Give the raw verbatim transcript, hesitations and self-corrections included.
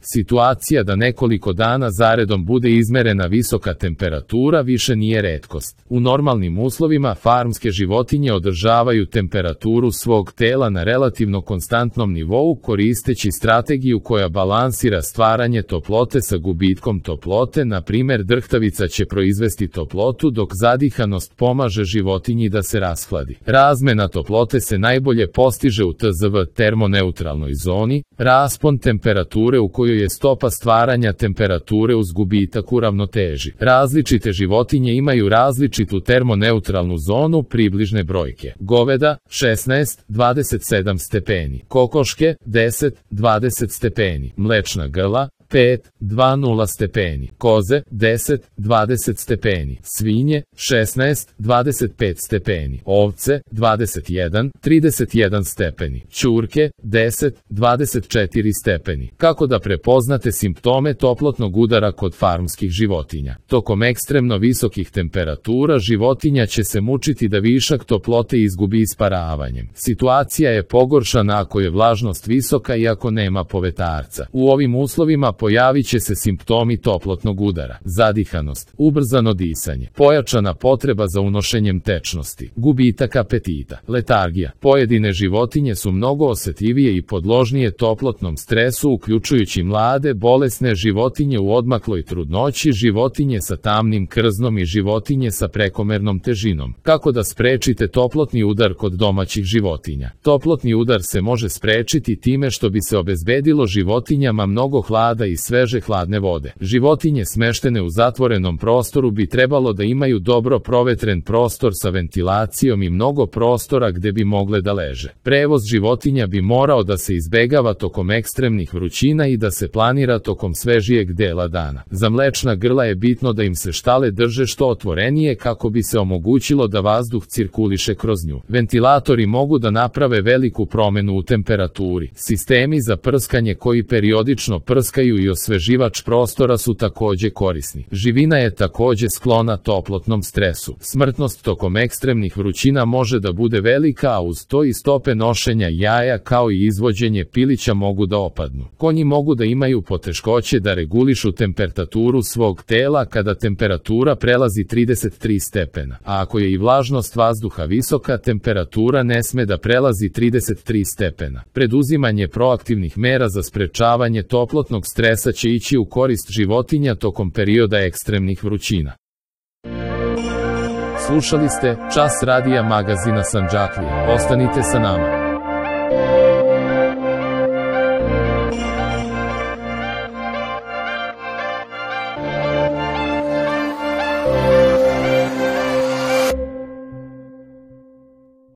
Situacija da nekoliko dana zaredom bude izmerena visoka temperatura više nije retkost. U normalnim uslovima farmske životinje održavaju temperaturu svog tela na relativno konstantnom nivou koristeći strategiju koja balansira stvaranje toplote sa gubitkom toplote, na primjer drhtavica će proizvesti toplotu dok zadihanost pomaže životinji da se rashladi. Razmena toplote se najbolje postiže u T Z V termoneutralnoj zoni, raspon temperature u kojoj je stopa stvaranja temperature uz gubitak u ravnoteži. Različite životinje imaju različitu termoneutralnu zonu približne brojke. Goveda šesnaest do dvadeset sedam stepeni, kokoške deset do dvadeset stepeni, mlečna grla pet do dvadeset stepeni, koze deset do dvadeset stepeni, svinje šesnaest do dvadeset pet stepeni, ovce dvadeset jedan do trideset jedan stepeni, ćurke deset do dvadeset četiri stepeni. Kako da prepoznate simptome toplotnog udara kod farmskih životinja? Tokom ekstremno visokih temperatura životinja će se mučiti da višak toplote izgubi isparavanjem. Situacija je pogoršana ako je vlažnost visoka i ako nema povetarca. U ovim uslovima pojavit će se simptomi toplotnog udara: zadihanost, ubrzano disanje, pojačana potreba za unošenjem tečnosti, gubitak apetita, letargija. Pojedine životinje su mnogo osjetljivije i podložnije toplotnom stresu, uključujući mlade, bolesne životinje u odmakloj trudnoći, životinje sa tamnim krznom i životinje sa prekomernom težinom. Kako da sprečite toplotni udar kod domaćih životinja? Toplotni udar se može sprečiti time što bi se obezbedilo životinjama mnogo hlada i sveže hladne vode. Životinje smeštene u zatvorenom prostoru bi trebalo da imaju dobro provetren prostor sa ventilacijom i mnogo prostora gde bi mogle da leže. Prevoz životinja bi morao da se izbegava tokom ekstremnih vrućina i da se planira tokom svežijeg dela dana. Za mlečna grla je bitno da im se štale drže što otvorenije kako bi se omogućilo da vazduh cirkuliše kroz nju. Ventilatori mogu da naprave veliku promenu u temperaturi. Sistemi za prskanje koji periodično prskaju i osveživač prostora su takođe korisni. Živina je takođe sklona toplotnom stresu. Smrtnost tokom ekstremnih vrućina može da bude velika, a uz to i stope nošenja jaja kao i izvođenje pilića mogu da opadnu. Konji mogu da imaju poteškoće da regulišu temperaturu svog tela kada temperatura prelazi trideset tri stepena, a ako je i vlažnost vazduha visoka, temperatura ne sme da prelazi trideset tri stepena. Preduzimanje proaktivnih mera za sprečavanje toplotnog stresa će ići u korist životinja tokom perioda ekstremnih vrućina. Slušali ste Čas radija magazina Sandžaklija. Ostanite sa nama.